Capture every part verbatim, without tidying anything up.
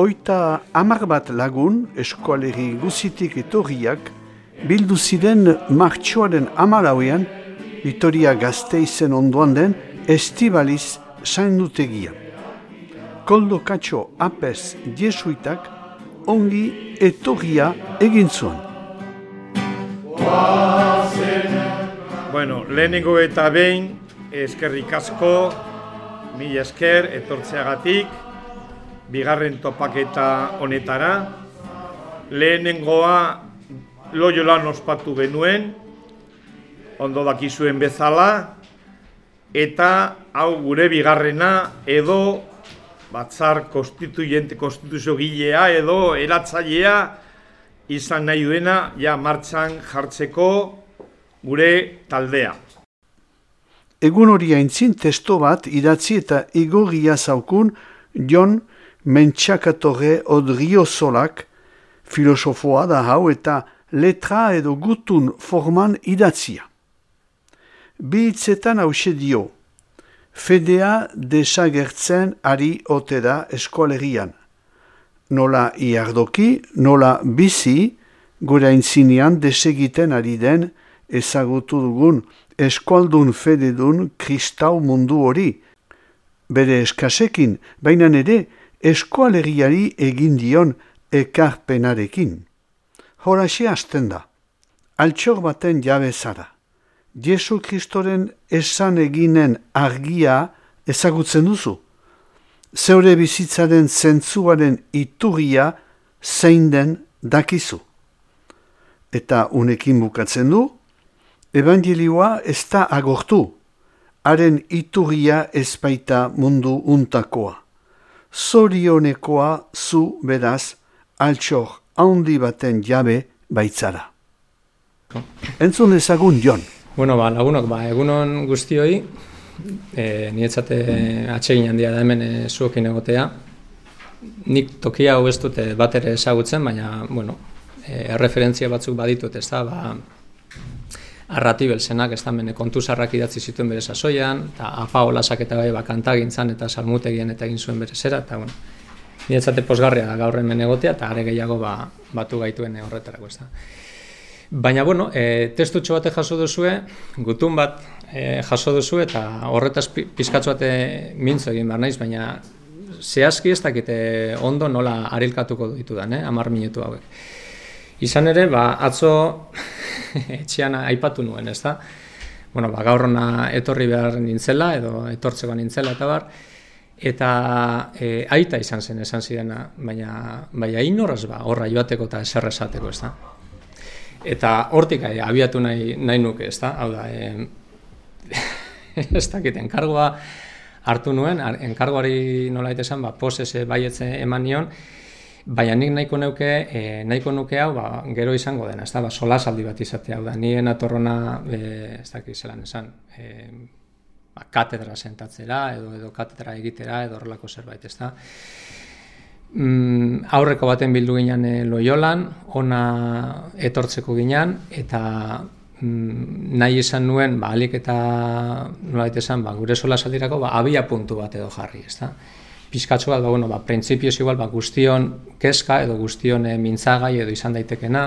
Oita hamar bat lagun, eskualegi guzitik etorriak, bildu ziren martxoaren hamalauean, Vitoria Gasteizen ondoan den Estibaliz saindutegia. Koldo Katxo Apez jesuitak ongi etorria egin zuen. Bueno, lehenengo eta behin, eskerrik asko, mila esker, etortzeagatik, bigarren topaketa honetara. Lehenengoa Loiolan ospatu genuen, ondo dakizuen bezala, eta hau gure bigarrena edo batzar konstituyente, konstituzio gilea edo eratzailea izan nahi duena ja martxan jartzeko gure taldea. Egun hori aintzin testo bat idatzi eta igorria zaukun Jon Mentxakatorre Odriozolak, filosofoa da hau eta letra edo gutun forman idatzia. Bi hitzetan hause dio, fedea desagertzen ari ote da eskolegian. Nola iardoki, nola bizi, gure aintzinean desegiten ari den ezagutu dugun eskualdun fededun kristau mundu hori. Bere eskasekin, baina ere eskualegiari egin dion ekarpenarekin. Horaxe hasten da, altxor baten jabe zara. Jesu Kristoren esan eginen argia ezagutzen duzu. Zeure bizitzaren zentzuaren iturria zein den dakizu. Eta unekin bukatzen du, evangelioa ez da agortu, haren iturria ezpaita mundu untakoa. Zorionekoa zu beraz, altxor handi baten jabe baitzara. Entzun ezagun Jon. Bueno, ba, lagunok, ba, egunon guztioi, e, niretzate atsegin handia da hemen e, zuokin egotea. Nik tokia hau ez dute bat ere ezagutzen, baina, bueno, e, erreferentzia batzuk baditut, ez da, ba, Arratibelzenak, ez da, mene kontuzarrak idatzi zituen bere sasoian, eta Apa Olasak eta bai, ba, kantagintzan eta salmutegien eta egin zuen bere zera, eta, bueno, niretzate posgarria da gaur hemen egotea, eta are gehiago ba, batu gaituen horretarako, ez da. Baina, bueno, e, testutxo bate jaso duzue, gutun bat e, jaso duzue, eta horretaz pizkatzu bate mintzo egin behar naiz, baina zehazki ez dakite ondo nola arilkatuko ditudan, eh, hamar minutu hauek. Izan ere, ba, atzo etxean aipatu nuen, ez da? Bueno, ba, gaur hona etorri behar nintzela, edo etortzeko nintzela, eta bar, eta e, aita izan zen esan zidena, baina, baina inorraz ba, horra joateko eta eser esateko, ez da? Eta hortik e, abiatu nahi, nahi nuke, ez da? Hau da, e, ez dakit, enkargoa hartu nuen, enkargoari nolait esan, ba, posese baietze eman nion, baina nik nahiko nuke, e, nahiko nuke hau, ba, gero izango dena, ez da? Ba, solasaldi bat izatea, hau da, nien atorrona, e, ez dakit zelan esan, e, ba, katedra sentatzera, edo, edo katedra egitera, edo horrelako zerbait, ez da? Mm, aurreko baten bildu ginen e, Loiolan, ona etortzeko ginen, eta mm, nahi esan nuen, ba, alik eta nolait esan, ba, gure solasaldirako, ba, abia puntu bat edo jarri, ez da? Pizkatxo bat, ba, bueno, ba, printzipioz igual, ba, guztion kezka, edo guztion e, mintzagai, edo izan daitekena,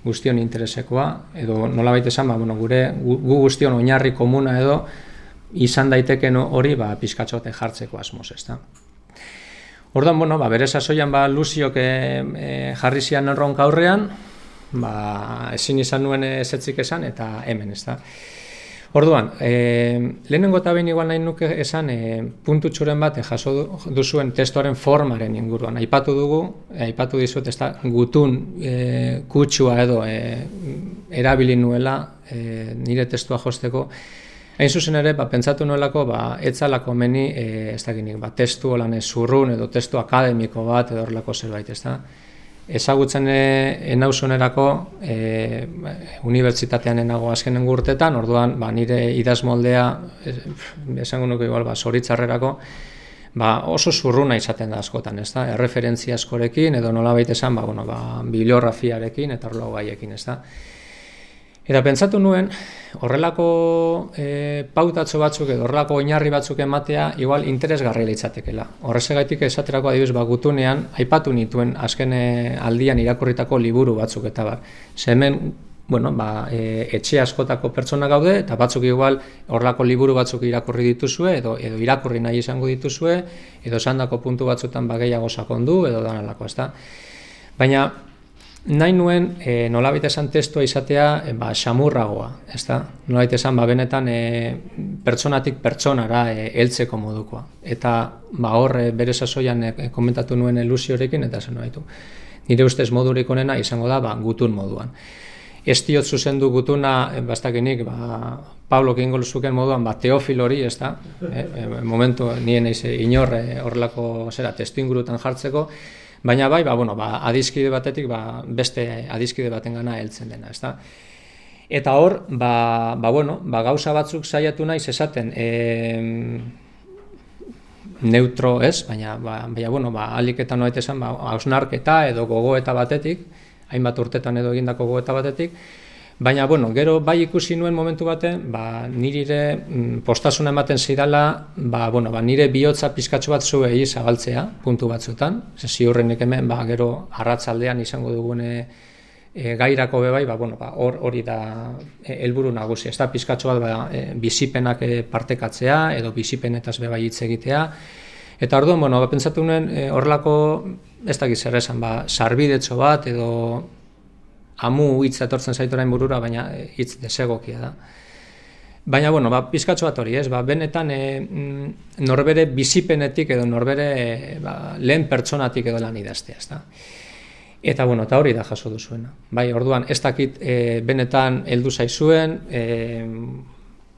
guztion interesekoa, edo nolabait esan, ba, bueno, gure, gu, gu guztion oinarri komuna edo, izan daiteken hori, ba, pizkatxo bat jartzeko asmoz, ez da? Orduan, bueno, ba, bere sasoian ba, Luziok e, e, jarri zian erronka aurrean, ba, ezin izan nuen ezetzik esan, eta hemen, ez da. Orduan, e, lehenengo eta behin igual nahi nuke esan, e, puntutxuren bat e, jaso duzuen testuaren formaren inguruan. Aipatu dugu, e, aipatu dizut, ez da, gutun e, kutsua edo e, erabili nuela e, nire testua josteko. Hain zuzen ere, ba, pentsatu nuelako, ba, etzalako meni, e, ez dakinik, ba, testu holan zurrun edo testu akademiko bat edo horrelako zerbait, ez da. Ezagutzen enauzunerako, e, unibertsitatean enago azkenen urtetan, orduan, ba, nire idazmoldea, esango nuke igual, ba, zoritzarrerako, ba, oso zurruna izaten da askotan, ez da. Erreferentzia askorekin edo nolabait esan, ba, bueno, ba, bibliografiarekin eta horrelako gaiekin, ez da. Eta pentsatu nuen, horrelako e, pautatxo batzuk edo horrelako oinarri batzuk ematea igual interesgarria litzatekeela. Horrezegaitik esaterako adibidez ba, gutunean aipatu nituen azken aldian irakurritako liburu batzuk eta bar. Ze hemen, bueno, ba, e, etxe askotako pertsona gaude eta batzuk igual horrelako liburu batzuk irakurri dituzue edo edo irakurri nahi izango dituzue edo esandako puntu batzutan ba gehiago sakondu edo danalako, ezta. Baina nahi nuen e, nolabait esan testua izatea e, ba, xamurragoa, ezta? Nolabait esan ba, benetan e, pertsonatik pertsonara e, heltzeko modukoa. Eta ba, hor e, bere sasoian e, komentatu nuen ilusiorekin eta zen baitu. Nire ustez modurik onena izango da ba, gutun moduan. Ez diot zuzendu gutuna, e, bastakenik, ba, Pablo Kingol zuken moduan, ba, Teofilori, ezta? E, e, momentu nien eiz inor e, horrelako zera testu ingurutan jartzeko, baina bai, ba, bueno, ba, adiskide batetik ba, beste adiskide batengana heltzen dena, ezta? Eta hor, ba, ba, bueno, ba, gauza batzuk saiatu naiz esaten e, neutro ez, baina, ba, baina bueno, ba, aliketan noait esan, ba, hausnarketa edo gogoeta batetik, hainbat urtetan edo egindako gogoeta batetik, baina, bueno, gero bai ikusi nuen momentu baten, ba, nire postasuna ematen zidala, ba, bueno, ba, nire bihotza pizkatxo bat zuei zabaltzea, puntu batzutan, ziurrenik hemen, ba, gero arratzaldean izango dugune e, gairako bebai, ba, bueno, ba, hor, hori da helburu nagusi, ez da pizkatxo bat, ba, e, bizipenak e, partekatzea, edo bizipenetaz bebai hitz egitea, eta orduan, bueno, ba, pentsatu nuen e, horrelako, ez dakit zer esan, ba, sarbidetxo bat, edo amu hitz etortzen zaitorain burura, baina hitz desegokia da. Baina, bueno, ba, pizkatxo bat hori, ez, ba, benetan e, norbere bizipenetik edo norbere e, ba, lehen pertsonatik edo lan idaztea, ez da. Eta, bueno, eta hori da jaso duzuena. Bai, orduan, ez dakit e, benetan heldu zaizuen, e,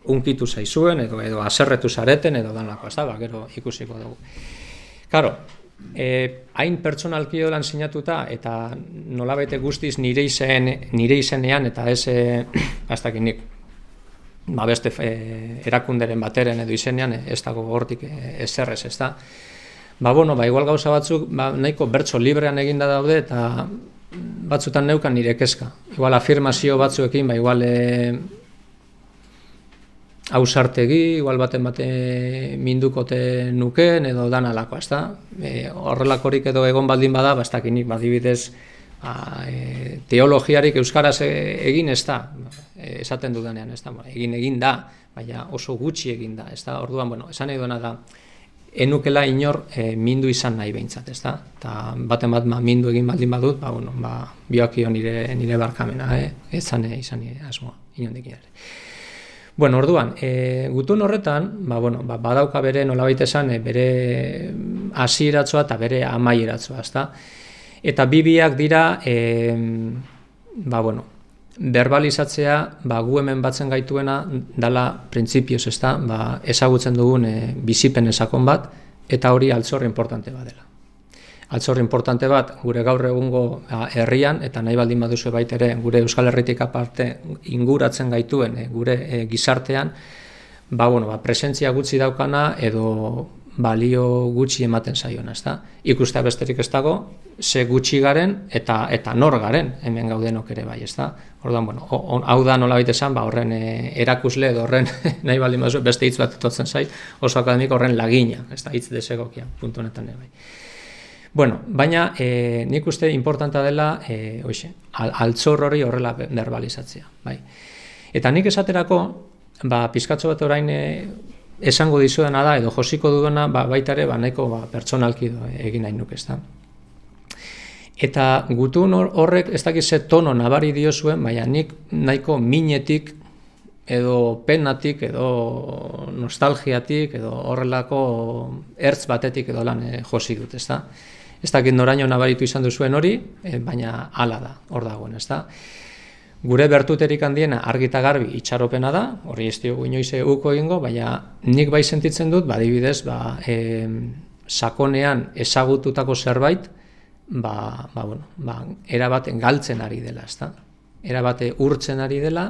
unkitu zaizuen, edo, edo aserretu zareten, edo danlako, ez da, ba, gero ikusiko dugu. Karo, E, hain pertsonalki lan sinatuta eta nolabait guztiz nire izen nire izenean eta ez e, nik ba beste e, erakunderen bateren edo izenean ez dago hortik ezerrez, ez da. Ba bueno, ba igual gauza batzuk ba, nahiko bertso librean eginda daude eta batzutan neukan nire kezka. Igual afirmazio batzuekin ba igual e, ausartegi, igual baten bate mindukote nuken edo danalako, ez da? E, horrelakorik edo egon baldin bada, bastakinik badibidez ba, e, teologiarik euskaraz egin ez da, e, esaten dudanean, ez da? Egin egin da, baina oso gutxi egin da, ez da? Orduan, bueno, esan nahi duena da, enukela inor e, mindu izan nahi behintzat, ez da? Eta baten bat ma, mindu egin baldin badut, ba, bueno, ba, biokio nire, nire barkamena, eh? ezan izan nire asmoa, inondik ere. Bueno, orduan, e, gutun horretan, ba, bueno, ba, badauka bere nolabait esan, e, bere hasieratzoa eta bere amaieratzoa, ezta? Eta bi biak dira, e, ba, bueno, verbalizatzea, ba, gu hemen batzen gaituena dala printzipioz, ezta? Ba, ezagutzen dugun e, bizipen esakon bat, eta hori altzor importante bat dela. Altzor importante bat gure gaur egungo herrian eta nahi baldin baduzu baita ere gure Euskal Herritik aparte inguratzen gaituen e, gure e, gizartean ba, bueno, ba, presentzia gutxi daukana edo balio gutxi ematen zaiona, ezta? Ikustea besterik ez dago, ze gutxi garen eta eta nor garen hemen gaudenok ere bai, ezta? Orduan, bueno, on, hau da nolabait esan, ba, horren e, erakusle edo horren nahi baldin baduzu beste hitz bat etortzen zait, oso akademiko horren lagina, ezta? Hitz desegokia puntu honetan ere bai. Bueno, baina e, nik uste importanta dela e, oixe, al, altzor hori horrela verbalizatzea. Bai. Eta nik esaterako, ba, pizkatxo bat orain e, esango dizuena da, edo josiko dudana ba, baita ere ba, nahiko ba, pertsonalki do, egin nahi nuke, ezta. Eta gutun horrek ez dakiz ze tono nabari diozuen, baina nik nahiko minetik edo penatik, edo nostalgiatik, edo horrelako ertz batetik edo lan e, josi dut, ezta. Ez dakit noraino nabaritu izan duzuen hori, e, baina hala da, hor dagoen, ezta. Gure bertuterik handiena argita garbi itxaropena da, hori ez diogu inoiz uko egingo, baina nik bai sentitzen dut, badibidez, ba, e, sakonean ezagututako zerbait, ba, ba, bueno, ba, erabate galtzen ari dela, ezta. Erabate urtzen ari dela,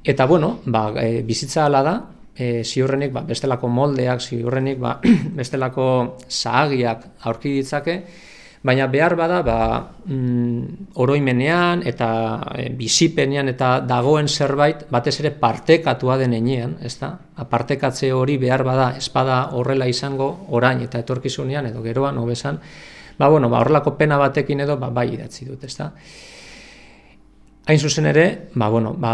eta, bueno, ba, e, bizitza hala da, e, ziurrenik ba, bestelako moldeak, ziurrenik ba, bestelako zahagiak aurki ditzake, Baina behar bada, ba, mm, oroimenean eta e, bizipenean eta dagoen zerbait, batez ere partekatua den enean, ez da? Partekatze hori behar bada, espada horrela izango, orain eta etorkizunean, edo geroan, hobesan, ba, bueno, ba, horrelako pena batekin edo, ba, bai idatzi dut, ez da? Hain zuzen ere, ba, bueno, ba,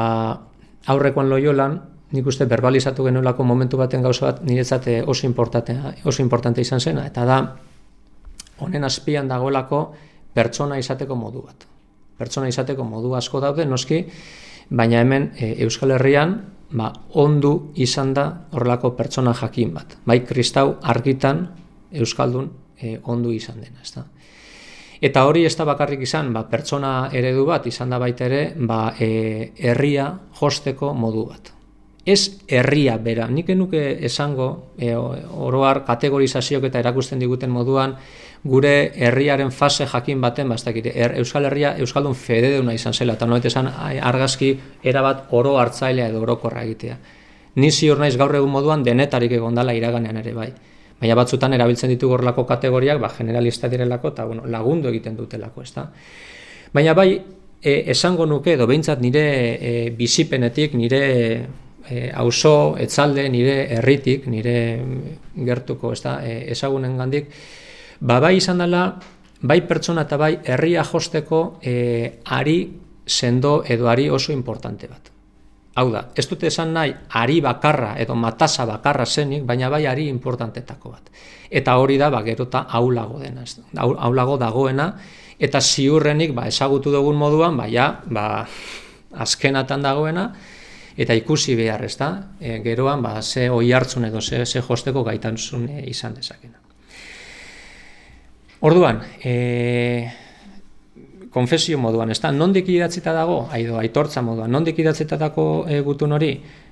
aurrekoan Loiolan, nik uste verbalizatu genuelako momentu baten gauza bat niretzat oso importante, oso importante izan zena, eta da, honen azpian dagoelako pertsona izateko modu bat. Pertsona izateko modu asko daude, noski, baina hemen e, Euskal Herrian ba, ondu izan da horrelako pertsona jakin bat. Bai, kristau argitan Euskaldun e, ondu izan dena. Ezta? Eta hori ez da bakarrik izan, ba, pertsona eredu bat izan da baita ere, ba, e, herria josteko modu bat. Ez herria bera, nik enuke esango, e, oroar kategorizazioak eta erakusten diguten moduan, gure herriaren fase jakin baten, bastakire, er, Euskal Herria Euskaldun fededuna izan zela, eta noet esan argazki erabat oro hartzailea edo orokorra egitea. Ni ziur naiz gaur egun moduan denetarik egondala iraganean ere bai. Baina batzutan erabiltzen ditu gorlako kategoriak, ba, generalista direlako, eta bueno, lagundu egiten dutelako, ezta. Baina bai, e, esango nuke, edo behintzat nire e, bizipenetik, nire E, auzo, etzalde, nire herritik, nire gertuko, ez da, e, ezagunen gandik, ba, bai izan dela, bai pertsona eta bai herria josteko e, ari sendo edo ari oso importante bat. Hau da, ez dute esan nahi ari bakarra edo matasa bakarra zenik, baina bai ari importantetako bat. Eta hori da, ba, gerota aulago dena, ez da, aulago dagoena, eta ziurrenik, ba, ezagutu dugun moduan, ba, ja, ba, azkenatan dagoena, eta ikusi behar, ez da, e, geroan, ba, ze oi hartzun edo ze, ze josteko gaitanzun e, izan dezakena. Orduan, e, konfesio moduan, ez da, nondik idatzita dago, aido, aitortza moduan, nondik idatzita dago e, gutun hori,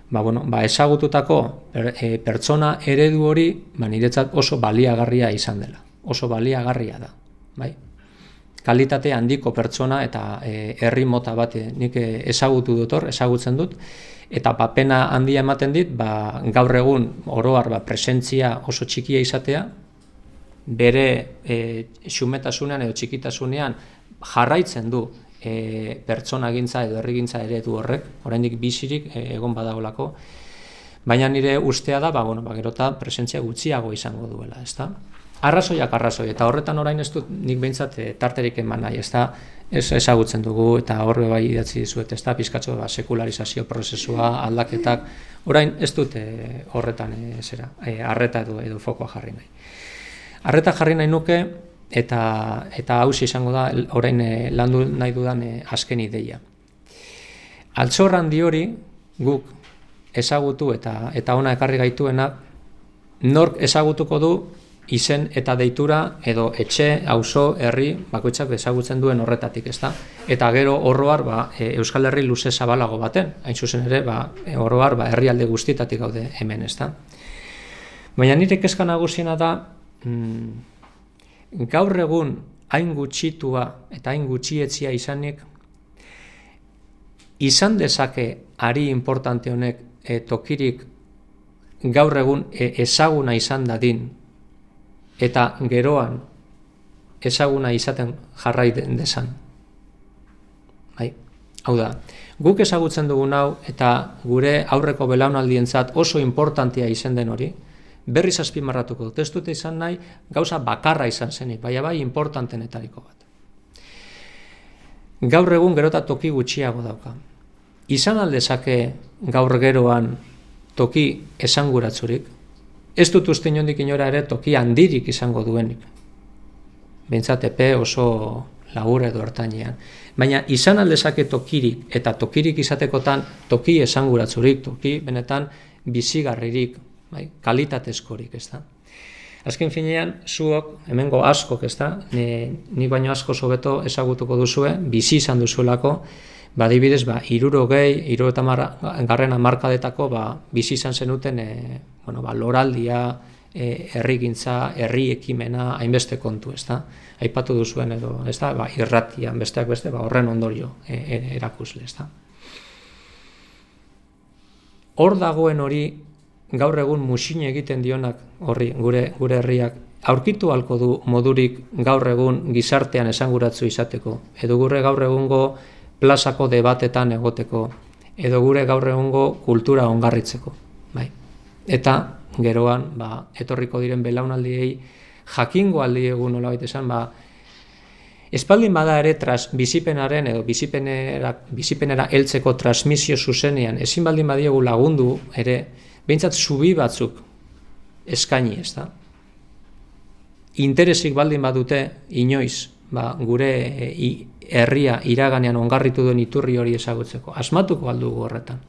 ba, bueno, ba, ezagututako per, e, pertsona eredu hori, ba, niretzat oso baliagarria izan dela, oso baliagarria da, bai? Kalitate handiko pertsona eta e, herri mota bat nik ezagutu dut hor, ezagutzen dut, eta papena handia ematen dit, ba, gaur egun oroar ba, presentzia oso txikia izatea, bere e, xumetasunean edo txikitasunean jarraitzen du e, pertsonagintza edo herrigintza eredu horrek, oraindik bizirik e, egon badagolako, baina nire ustea da, ba, bueno, ba, gerota presentzia gutxiago izango duela, ezta? Arrazoiak arrazoi, eta horretan orain ez dut nik behintzat e, tarterik eman nahi, ez da, ez ezagutzen dugu, eta horre bai idatzi dizuet, ez da, pizkatxo ba, sekularizazio prozesua, aldaketak, orain ez dut e, horretan e, zera, e, arreta edo, edo fokoa jarri nahi. Arreta jarri nahi nuke, eta, eta hausi izango da, orain e, landu nahi dudan e, azken ideia. Altxor handi hori guk ezagutu eta, eta ona ekarri gaituena, nork ezagutuko du, izen eta deitura edo etxe, auzo, herri, bakoitzak ezagutzen duen horretatik, ezta? Eta gero oroar ba, e, Euskal Herri luze zabalago baten, hain zuzen ere, ba, oroar ba, herrialde guztietatik gaude hemen, ezta? Baina nire kezka nagusiena da, mm, gaur egun hain gutxitua eta hain gutxietzia izanik, izan dezake ari importante honek e, tokirik gaur egun e, ezaguna izan dadin, eta geroan ezaguna izaten jarrai desan. Bai, hau da, guk ezagutzen dugun hau eta gure aurreko belaunaldientzat oso importantea izan den hori, berriz azpimarratuko dut, ez dute izan nahi gauza bakarra izan zenik, baina bai importantenetariko bat. Gaur egun gerota toki gutxiago dauka. Izan aldezake gaur geroan toki esanguratzurik, ez dut uste inondik inora ere toki handirik izango duenik. Behintzat epe oso labur edo hartainean. Baina izan aldezake tokirik eta tokirik izatekotan toki esanguratzurik, toki benetan bizigarririk, bai, kalitatezkorik, ez da. Azken finean, zuok, hemengo askok, ez da, ni baino asko hobeto ezagutuko duzue, bizi izan duzuelako, ba, adibidez, ba, hirurogei, hirurogeita garren hamarkadetako ba, bizi izan zenuten e, bueno, ba, loraldia, e, herrigintza, herri ekimena, hainbeste kontu, ez da? Aipatu duzuen edo, ez da? Ba, irratian, besteak beste, ba, horren ondorio e, e, erakusle, ez da? Hor dagoen hori gaur egun musin egiten dionak horri, gure, gure herriak, aurkitu halko du modurik gaur egun gizartean esanguratzu izateko, edo gure gaur egungo plazako debatetan egoteko, edo gure gaur egungo kultura ongarritzeko. Bai. Eta geroan, ba, etorriko diren belaunaldiei jakingo aldi egun nolabait esan, ba, espaldin bada ere tras, bizipenaren edo bizipenera, bizipenera heltzeko transmisio zuzenean, ezin baldin badiegu lagundu ere, behintzat zubi batzuk eskaini, ez da? Interesik baldin badute inoiz, ba, gure e, herria iraganean ongarritu duen iturri hori ezagutzeko, asmatuko aldugu horretan.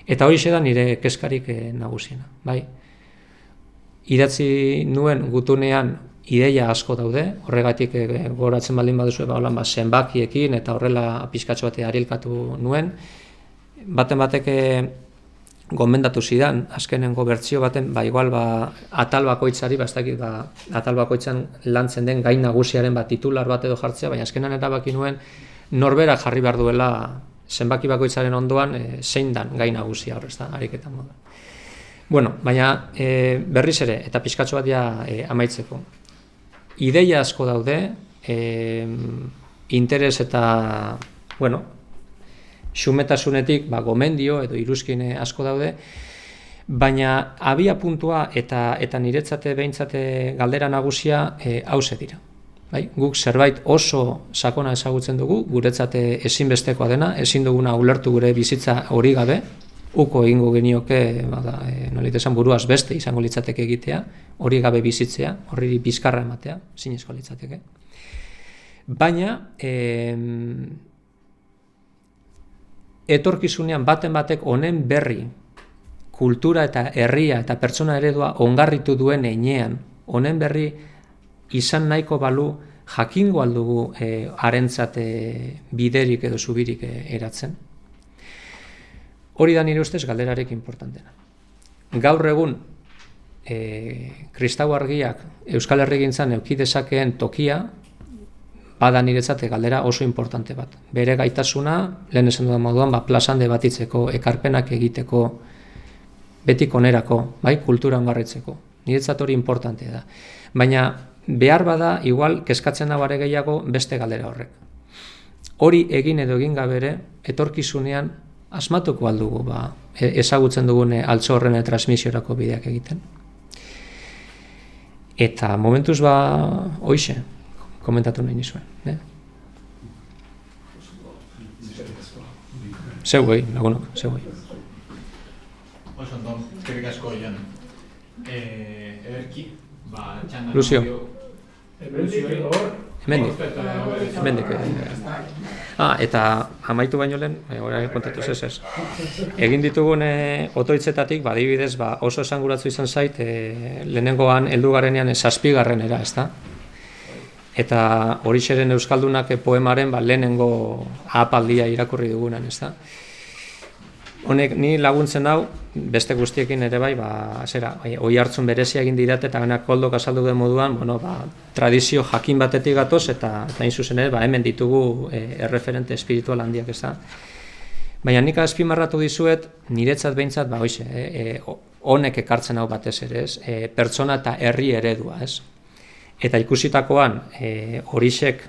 Eta hori da nire kezkarik e, nagusiena, bai? Idatzi nuen gutunean ideia asko daude, horregatik e, goratzen baldin baduzu, ba, holan, ba, zenbakiekin eta horrela pizkatxo bate arilkatu nuen, baten batek gomendatu zidan, azkenengo bertsio baten, ba, igual, ba, atal bakoitzari, ba, ez dakit, ba, atal bakoitzan lantzen den gain nagusiaren bat titular bat edo jartzea, baina azkenan erabaki nuen norberak jarri behar duela zenbaki bakoitzaren ondoan e, zein dan gain nagusia horrez da, ariketan moda. Bueno, baina e, berriz ere, eta pizkatxo bat ja e, amaitzeko. Ideia asko daude, e, interes eta, bueno, xumetasunetik ba, gomendio edo iruzkine asko daude, baina abia puntua eta eta niretzate behintzate galdera nagusia e, hauze dira. Bai? Guk zerbait oso sakona ezagutzen dugu, guretzate ezinbestekoa dena, ezin duguna ulertu gure bizitza hori gabe, uko egingo genioke, bada, e, nolit esan buruaz beste izango litzateke egitea, hori gabe bizitzea, horri bizkarra ematea, zinezko litzateke. Baina, e, etorkizunean baten batek honen berri, kultura eta herria eta pertsona eredua ongarritu duen heinean, honen berri izan nahiko balu jakingo aldugu e, harentzat e, biderik edo zubirik e, eratzen. Hori da nire ustez galderarek importantena. Gaur egun e, kristau argiak Euskal Herrigintzan eduki dezakeen tokia, bada niretzate galdera oso importante bat. Bere gaitasuna, lehen esan dudan moduan, ba, plazan debatitzeko, ekarpenak egiteko, betik onerako, bai, kultura ongarritzeko. Niretzat hori importantea da. Baina behar bada, igual, kezkatzen da bare gehiago beste galdera horrek. Hori egin edo egin gabere, etorkizunean asmatuko aldugu, ba, ezagutzen dugune altzo horren transmisiorako bideak egiten. Eta momentuz ba, hoixe, komentatu nahi nizuen. Eh? Zeuei, lagunok, zeuei. Oso ondo, eskerrik asko Jon. Ederki, ba, txandan... Lucio. Hemendik edo hor? Hemendik. Hemendik. Ah, eta amaitu baino lehen, orain kontatu ez ez. Egin ditugun otoitzetatik, badibidez, ba, oso esanguratzu izan zait, e, lehenengoan heldu garenean zazpigarrenera, ez da? Eta horixeren Euskaldunak poemaren ba, lehenengo ahapaldia irakurri dugunan, ez da? Honek ni laguntzen hau, beste guztiekin ere bai, ba, zera, oi hartzun berezia egin dirat eta benak koldok azaldu den moduan, bueno, ba, tradizio jakin batetik gatoz eta eta hain zuzen ere, ba, hemen ditugu e, erreferente espiritual handiak, ez da? Baina nik azpimarratu dizuet, niretzat behintzat, ba, hoize, e, e, honek ekartzen hau batez ere, ez? E, pertsona eta herri eredua, ez? Eta ikusitakoan, e, horixek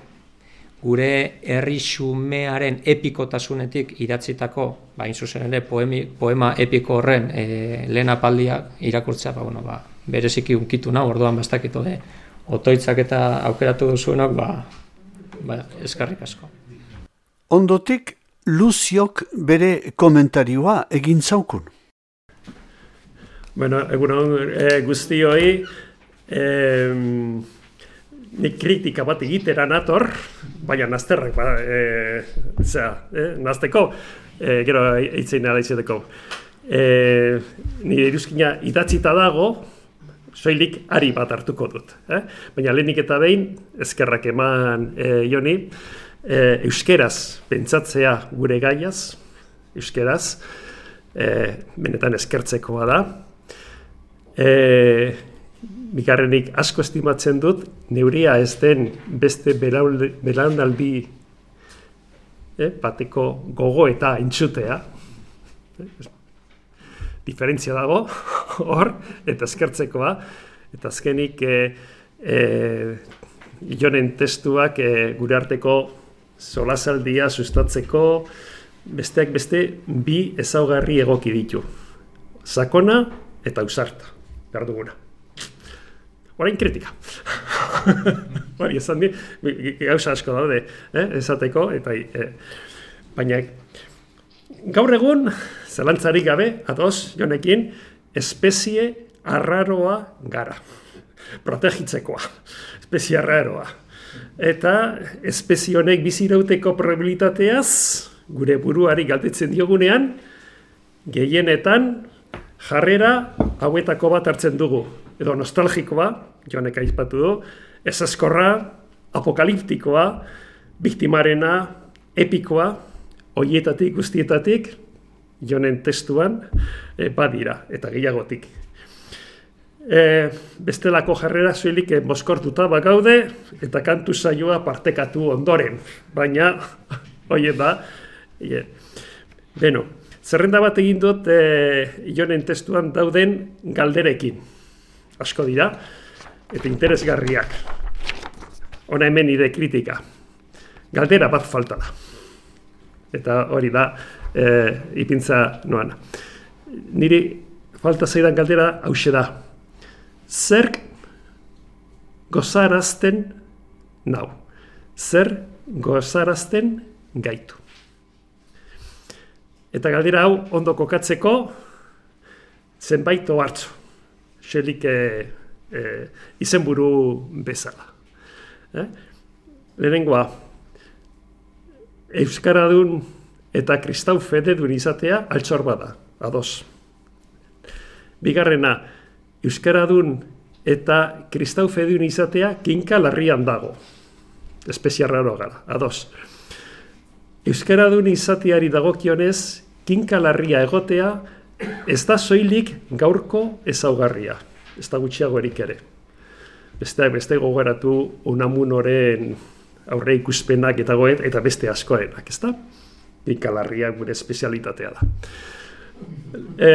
gure herri xumearen epikotasunetik idatzitako, ba, zuzen ere, poemi, poema epiko horren e, lehen apaldiak irakurtzea, ba, bueno, ba, bereziki unkitu nahi, orduan bastakito de, otoitzak eta aukeratu duzuenok, ba, ba, eskarrik asko. Ondotik, Luziok bere komentarioa egin zaukun. Bueno, egunon e, guztioi, e, nik kritika bat egitera nator, baina nazterrak, ba, e, zera, e, nazteko, e, gero eitzen nara izeteko. E, nire iruzkina idatzita dago, soilik ari bat hartuko dut. Eh? Baina lehenik eta behin, eskerrak eman e, Joni, e, euskeraz pentsatzea gure gaiaz, euskeraz, e, benetan eskertzekoa da. E, Bigarrenik asko estimatzen dut, neuria ez den beste belaunaldi eh, bateko gogo eta intsutea. Eh, diferentzia dago. hor, eta eskertzekoa, eta azkenik e, e, Jonen testuak e, gure arteko solasaldia sustatzeko, besteak beste bi ezaugarri egoki ditu. Sakona eta ausarta, behar duguna. Orain kritika. Hori esan di, gauza asko daude, eh, esateko, eta eh, baina gaur egun, zelantzarik gabe, ados, Jonekin, espezie arraroa gara. Protegitzekoa, espezie arraroa. Eta espezie honek bizirauteko probabilitateaz, gure buruari galdetzen diogunean, gehienetan jarrera hauetako bat hartzen dugu. Edo nostalgikoa, Jonek aipatu du, ezazkorra, apokaliptikoa, biktimarena, epikoa, horietatik, guztietatik, Jonen testuan, e, badira, eta gehiagotik. E, bestelako jarrera zuelik mozkortuta bagaude, eta kantu saioa partekatu ondoren, baina, hori da, e, beno, zerrenda bat egin dut e, Jonen testuan dauden galderekin. Asko dira, eta interesgarriak. Hona hemen nire kritika. Galdera bat falta da. Eta hori da, e, ipintza noana. Niri falta zaidan galdera hauxe da. Zer gozarazten nau? Zer gozarazten gaitu? Eta galdera hau ondo kokatzeko zenbait ohartzu. Xelik e, e, izenburu bezala. Eh? Lehenengoa, euskaradun eta kristau fededun izatea altxor bada, ados. Bigarrena, euskaradun eta kristau fededun izatea kinka larrian dago. Espezie arraro gara, ados. Euskaradun izateari dagokionez, kinka larria egotea, ez da soilik gaurko ezaugarria, ez da gutxiago erik ere. Besteak beste gogoratu Unamunoren aurre ikuspenak eta goet, eta beste askoenak, ez da? Kinkalarria gure espezialitatea da. E,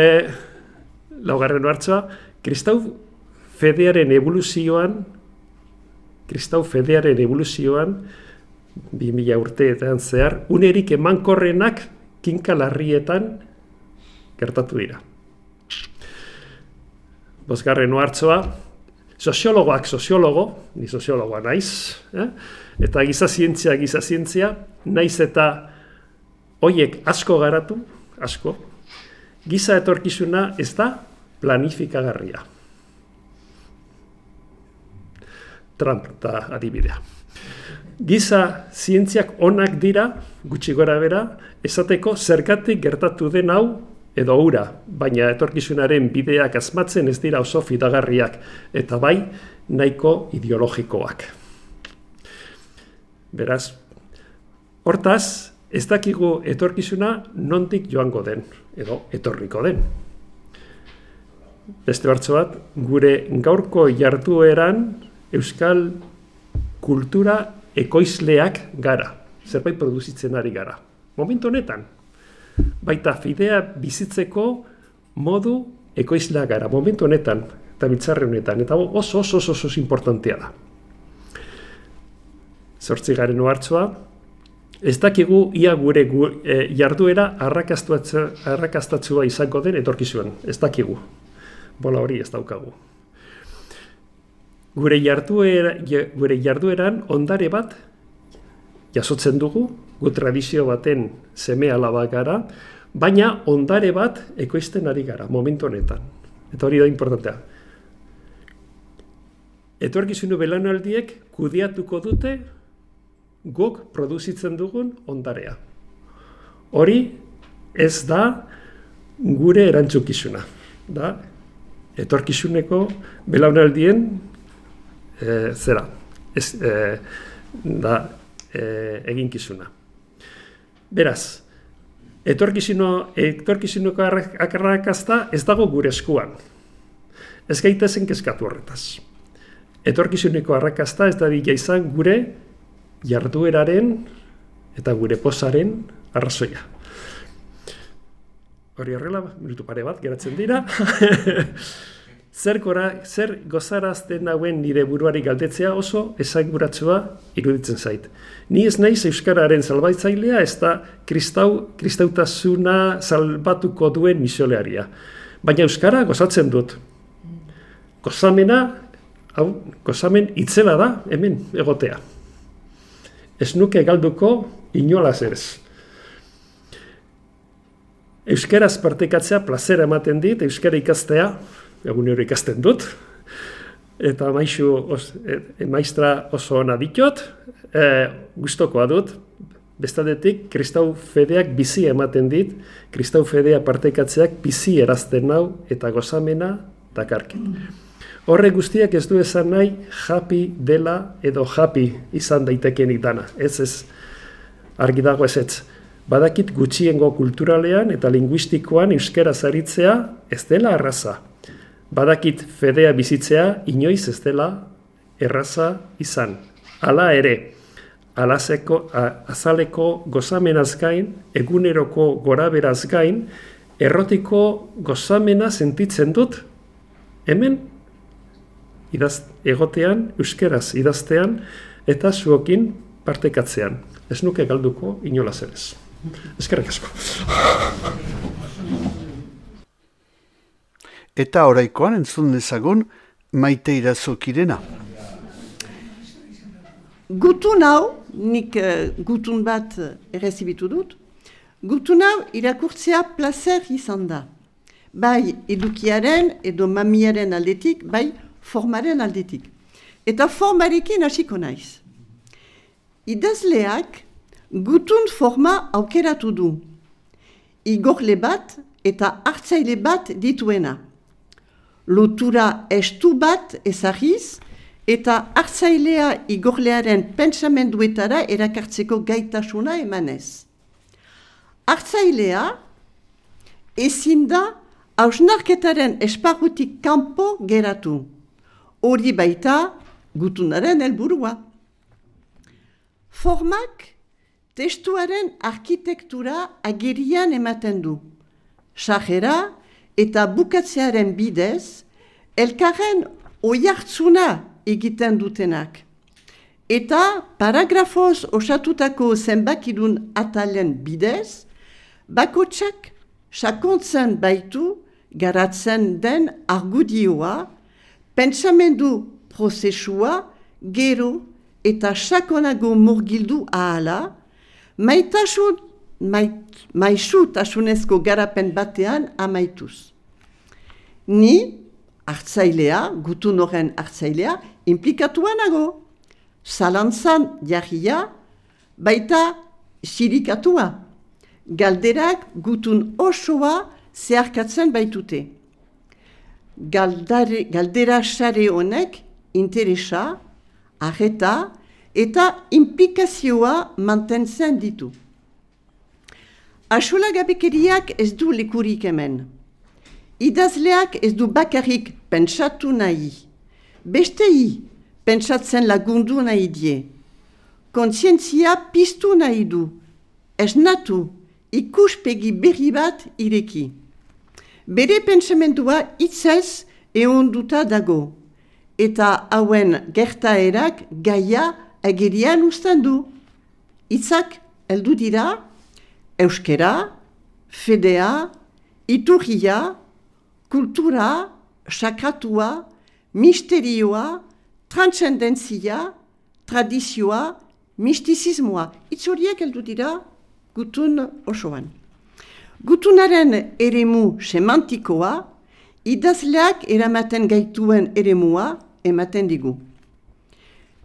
laugarren hartzoa, kristau fedearen evoluzioan, kristau fedearen evoluzioan, bi mila urteetan zehar, unerik emankorrenak kinkalarrietan gertatu dira. Bosgarren hartzoa, soziologoak soziologo, ni soziologoa naiz, eh? Eta gizazientzia, gizazientzia, naiz eta hoiek asko garatu, asko, giza etorkizuna ez da planifikagarria. Trump da adibidea. Giza zientziak onak dira, gutxi gora bera, esateko zergatik gertatu den hau edo hura, baina etorkizunaren bideak asmatzen ez dira oso fidagarriak, eta bai nahiko ideologikoak. Beraz, hortaz, ez dakigu etorkizuna nondik joango den, edo etorriko den. Beste hartzo bat, gure gaurko jardueran euskal kultura ekoizleak gara, zerbait produzitzen ari gara. Momentu honetan, baita fidea bizitzeko modu ekoizlea gara, momentu honetan, eta biltzarre honetan, eta oso oso oso oso importantea da. Zortzigaren ohartzoa, ez dakigu ia gure gu, e, jarduera arrakastatzua izango den etorkizuan, ez dakigu. Bola hori ez daukagu. Gure, jarduera, gure jardueran ondare bat jasotzen dugu, gu tradizio baten seme alaba gara, baina ondare bat ekoizten ari gara, momentu honetan. Eta hori da importantea. Etorkizunu belaunaldiek kudeatuko dute guk produzitzen dugun ondarea. Hori ez da gure erantzukizuna. Da, etorkizuneko belaunaldien e, zera, ez, e, da, e, eginkizuna. Beraz, etorkizuno, etorkizuneko arrakasta ez dago gure eskuan. Ez gaitezen kezkatu horretaz. Etorkizuneko arrakasta ez da dira izan gure jardueraren eta gure pozaren arrazoia. hori horrela, minutu pare bat, geratzen dira. Zer, gora, zer gozarazten hauen nire buruari galdetzea oso esanguratsua iruditzen zait. Ni ez naiz euskararen salbaitzailea, ez da kristau, kristautasuna salbatuko duen misiolearia. Baina euskara gozatzen dut. Gozamena, hau, gozamen itzela da, hemen egotea. Ez nuke galduko inolaz ez. Euskaraz partekatzea plazera ematen dit, euskara ikastea, egunero ikasten dut, eta maizu os, e, maistra oso ona ditot, e, gustokoa dut, bestaldetik kristau fedeak bizi ematen dit, kristau fedea partekatzeak bizi erazten nau eta gozamena dakarkit. Horre guztiak ez du esan nahi happy dela edo happy izan daitekenik dana, ez ez, argi dago ez ez. Badakit gutxiengo kulturalean eta linguistikoan euskaraz aritzea ez dela erraza. Badakit fedea bizitzea inoiz ez dela erraza izan. Hala ere, alazeko, azaleko gozamenaz gain, eguneroko goraberaz gain, errotiko gozamena sentitzen dut, hemen idaz, egotean, euskeraz idaztean, eta zuokin partekatzean. Ez nuke galduko inolaz ere. Eskerrik asko. Eta oraikoan entzun dezagun Maite Irazokirena. Gutun hau, nik uh, gutun bat errezibitu dut, gutun hau irakurtzea placer izan da. Bai edukiaren edo mamiaren aldetik, bai formaren aldetik. Eta formarekin hasiko naiz. Idazleak gutun forma aukeratu du. Igorle bat eta hartzaile bat dituena. Lotura estu bat ezagiz eta hartzailea igorlearen pentsamenduetara erakartzeko gaitasuna emanez. Hartzailea ezin da hausnarketaren esparrutik kanpo geratu. Hori baita gutunaren helburua. Formak testuaren arkitektura agerian ematen du. Sajera eta bukatzearen bidez, elkarren oihartzuna egiten dutenak. Eta paragrafoz osatutako zenbakidun atalen bidez, bakotsak sakontzen baitu garatzen den argudioa, pentsamendu prozesua, gero eta sakonago murgildu ahala, maitasun, mait, maisutasunezko garapen batean amaituz. Ni, hartzailea, gutun horren hartzailea, implikatua nago. Zalantzan jarria, baita sirikatua. Galderak gutun osoa zeharkatzen baitute. Galdare, galdera sare honek interesa, arreta eta implikazioa mantentzen ditu. Axolagabekeriak ez du lekurik hemen. Idazleak ez du bakarrik pentsatu nahi. Bestei pentsatzen lagundu nahi die. Kontzientzia piztu nahi du. Esnatu, ikuspegi berri bat ireki. Bere pentsamendua hitzez ehonduta dago. Eta hauen gertaerak gaia agerian uzten du. Hitzak heldu dira, euskera, fedea, iturria, kultura, sakratua, misterioa, transcendentzia, tradizioa, mistizismoa. Hitz horiek heldu dira gutun osoan. Gutunaren eremu semantikoa, idazleak eramaten gaituen eremua ematen digu.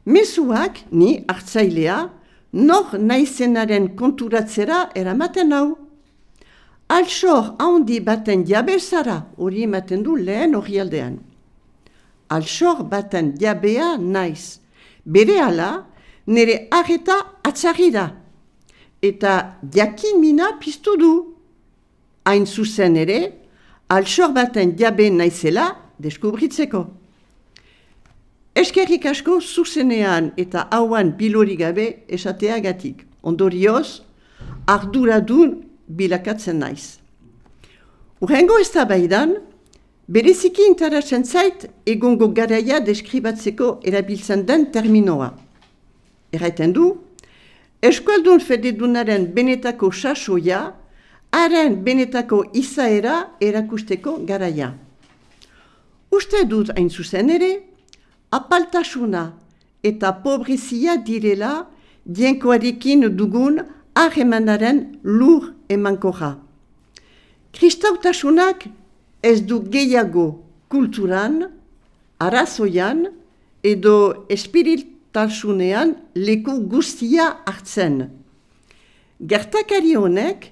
Mezuak, ni hartzailea, nor naizenaren konturatzera eramaten hau. Altsor handi baten jabezara hori ematen du lehen orrialdean. Altsor baten jabea naiz. Berehala, nire arreta atzarri da. Eta jakin mina piztu du. Hain zuzen ere, altsor baten jabe naizela deskubritzeko. Eskerrik asko zuzenean eta hauan bilori gabe esateagatik. Ondorioz, arduradun bilakatzen naiz. Urrengo eztabaidan, bereziki interesatzen zait egungo garaia deskribatzeko erabiltzen den terminoa. Erraiten du, eskualdun fededunaren benetako sasoia, haren benetako izaera erakusteko garaia. Uste dut hain zuzen ere, apaltasuna eta pobrezia direla dienkoarekin dugun harremanaren lur emankorra. Kristautasunak ez du gehiago kulturan, arazoian edo espiritasunean leku guztia hartzen. Gertakari honek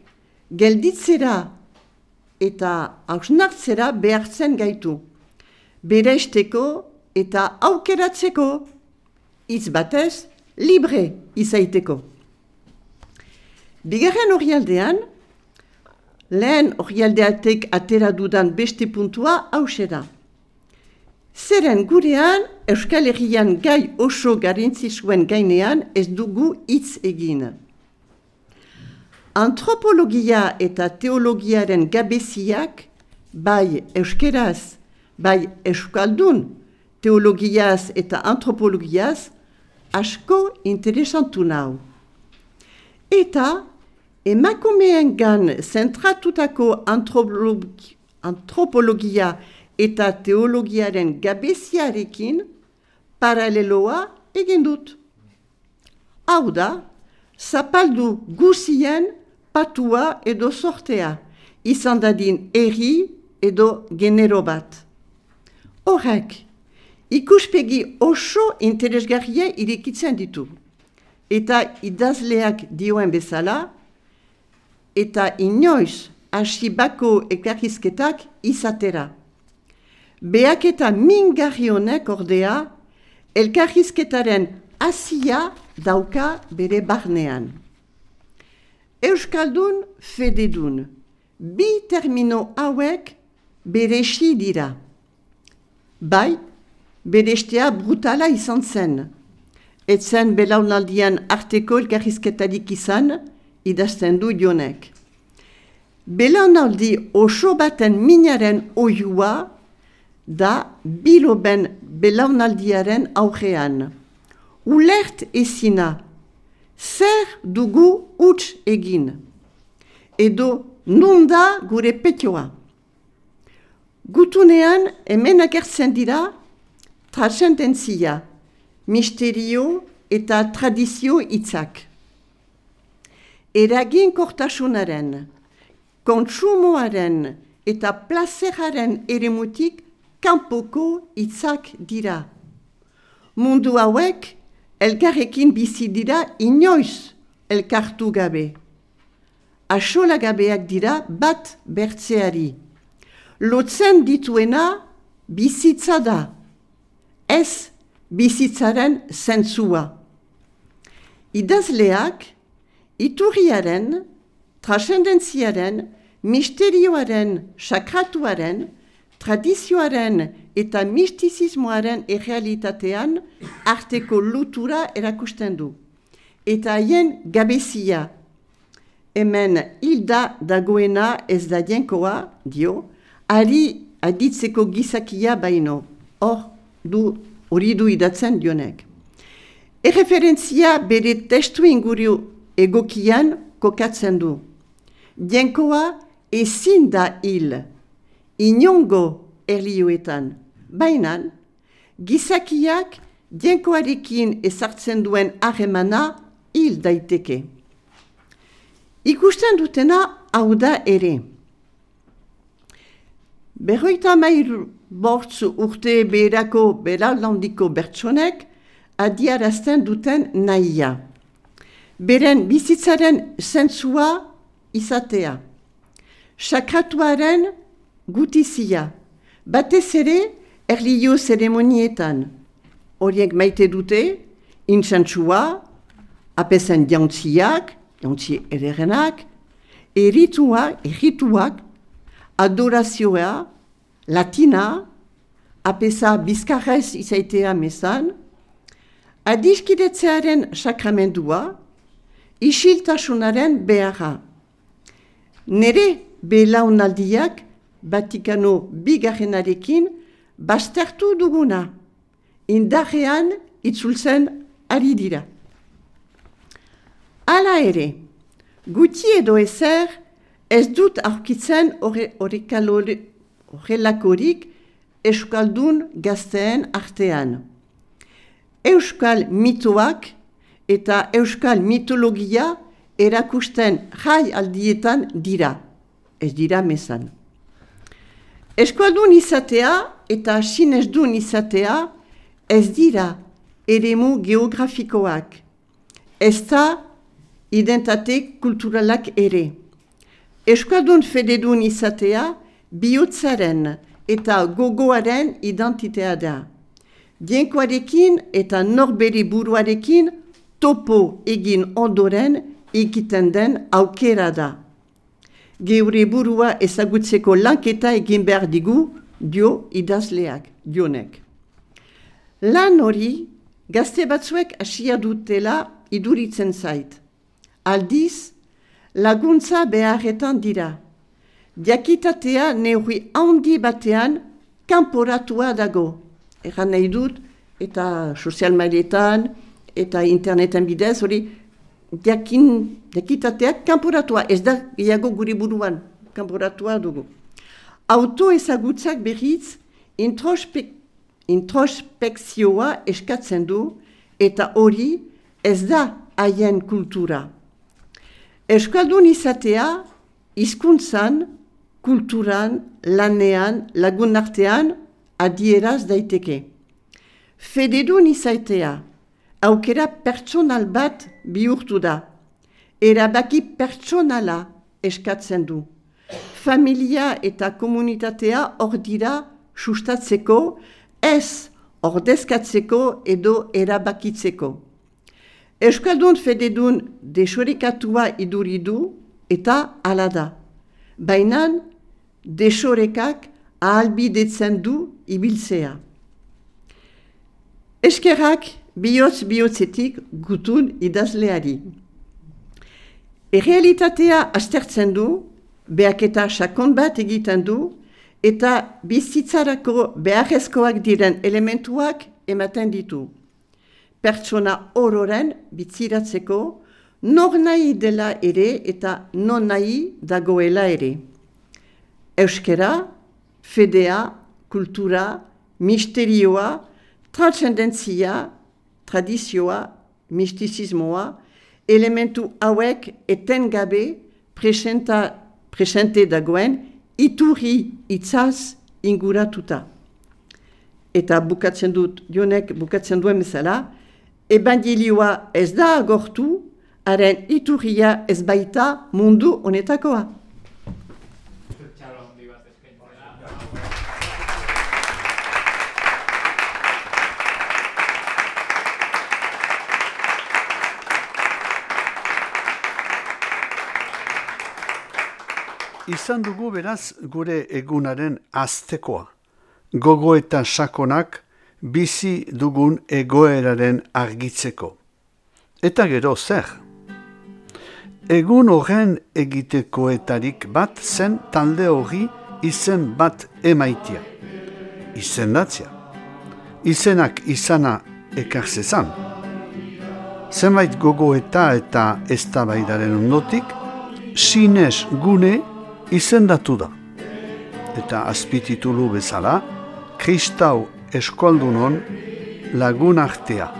gelditzera eta hausnartzera behartzen gaitu, bereizteko eta aukeratzeko, hitz batez, libre izaiteko. Bigarren orrialdean, lehen orrialdeatek atera dudan beste puntua hauxe da. Zeren gurean, Euskal Herrian gai oso garrantzitsuen gainean ez dugu hitz egin. Antropologia eta teologiaren gabeziak, bai euskeraz, bai euskaldun, teologiaz eta antropologiaz, asko interesantu nau. Eta emakumeen gan zentratutako antropologi, antropologia eta teologiaren gabeziarekin paraleloa egin dut. Hau da, zapaldu guzien patua edo sortea, izan dadin herri edo genero bat. Horrek, ikuspegi oso interesgarria irekitzen ditu. Eta idazleak dioen bezala, eta inoiz hasi bako ekarrizketak izatera. Beak eta mingarri honek ordea, elkarrizketaren hasia dauka bere barnean. Euskaldun fededun, bi termino hauek beresi dira. Bai, berestea brutala izan zen. Etzen belaunaldian arteko elkarrizketarik izan, idazten du Jonek. Belaunaldi oso baten minaren oiua da biloben belaunaldiaren aurrean. Ulert ezina, zer dugu huts egin, edo nunda gure petioa. Gutunean hemen agertzen dira transcendentzia, misterio eta tradizio hitzak. Eraginkortasunaren, kontsumoaren eta plazeraren eremutik kanpoko hitzak dira. Mundu hauek elkarrekin bizi dira inoiz elkartu gabe. Axolagabeak dira bat bertzeari. Lotzen dituena bizitza da, ez bizitzaren zentzua. Idazleak iturriaren, transcendentziaren, misterioaren, sakratuaren, tradizioaren eta mistizismoaren errealitatean arteko lotura erakusten du. Eta haien gabezia. Hemen hilda dagoena ez da jenkoa, dio, ari aditzeko gizakia baino. Hor, du, hori du idatzen Jonek. Erreferentzia bere testu inguru egokian kokatzen du. Jenkoa ezin da hil, inongo erlioetan. Baina, gizakiak jenkoarekin ezartzen duen harremana hil daiteke. Ikusten dutena hau da ere. Berroita mairu bortz urte beherako belaunaldiko bertsonek adiarazten duten nahia. Beren bizitzaren zentzua izatea. Sakratuaren gutizia. Batez ere erlio zeremonietan. Horiek maite dute, intsantsua, apezen jauntziak, jauntzi ederenak, erituak, errituak, adorazioa, latina, apesa bizkarrez izaitea mesan, adiskidetzearen sakramendua, isiltasunaren beharra. Nere belaunaldiak Vatikano bigarrenarekin baztertu duguna, indarrean itzultzen ari dira. Hala ere, guti edo ezer ez dut aurkitzen horrelakorik euskaldun gazteen artean. Euskal mitoak eta euskal mitologia erakusten jai aldietan dira, ez dira mezan. Euskaldun izatea eta sinesdun izatea ez dira eremu geografikoak, ez da identitate kulturalak ere. Euskaldun fededun izatea bihotzaren eta gogoaren identitea da. Dienkoarekin eta norbere buruarekin topo egin ondoren egiten den aukera da. Geure burua ezagutzeko lanketa egin behar digu, dio idazleak, dionek. Lan hori, gazte batzuek hasia dutela iduritzen zait. Aldiz, laguntza beharretan dira. Diakitatea neurri handi batean kanporatua dago. Egan nahi dut, eta sozial mailetan, eta interneten bidez, hori diakin, diakitateak kanporatua, ez da gehiago gure buruan, kanporatua dugu. Auto ezagutzak berriz introspek, introspekzioa eskatzen du, eta hori ez da haien kultura. Euskaldun izatea, hizkuntzan, kulturan, lanean, lagun artean, adieraz daiteke. Fededun izatea, aukera pertsonal bat bihurtu da. Erabaki pertsonala eskatzen du. Familia eta komunitatea hor dira sustatzeko, ez ordezkatzeko edo erabakitzeko. Euskaldun fededun desorekatua iduridu eta hala da. Baina desorekak ahalbidetzen du ibiltzea. Eskerrak bihotz bihotzetik gutun idazleari. Errealitatea aztertzen du, behaketa sakon bat egiten du, eta bizitzarako beharrezkoak diren elementuak ematen ditu. Pertsona ororen bitziratzeko, nor nahi dela ere eta non nahi dagoela ere. Euskera, fedea, kultura, misterioa, transcendentzia, tradizioa, mistizismoa, elementu hauek etengabe presenta, presente dagoen iturri itzaz inguratuta. Eta bukatzen dut, jonek bukatzen duen bezala, evangelioa ez da agortu, haren iturria ez baita mundu honetakoa. Izan dugu beraz gure egunaren aztekoa. Gogo eta sakonak bizi dugun egoeraren argitzeko. Eta gero zer? Egun horren egitekoetarik bat zen talde hori izen bat emaitia. Izendatzia. Izenak izana ekarzezan. Zenbait gogoeta eta eztabaidaren ondotik, sines gune izendatu da. Eta azpititulu bezala, Kristau eskualdunon lagun artea.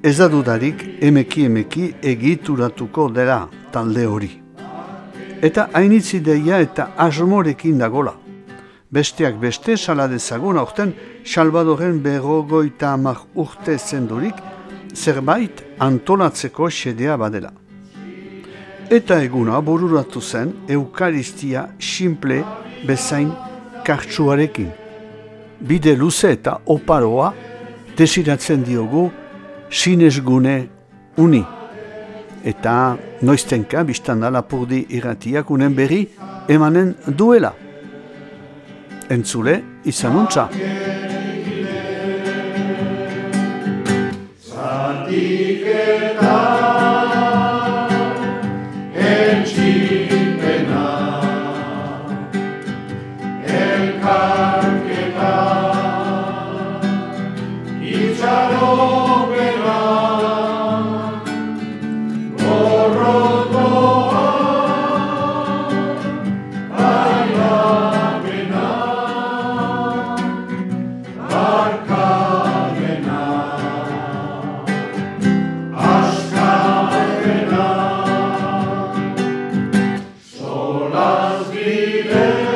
Ez da dudarik emeki emeki egituratuko dela talde hori. Eta hainitzi deia eta asmorekin dagola. Besteak beste sala dezagun aurten Salvadoren berrogeita hamar urte zendurik zerbait antolatzeko xedea badela. Eta eguna bururatu zen eukaristia simple bezain kartsuarekin. Bide luze eta oparoa desiratzen diogu sinesgune uni. Eta noiztenka biztanda Lapurdi irratiak unen berri emanen duela. Entzule izanuntza. Zatiketa Frieden.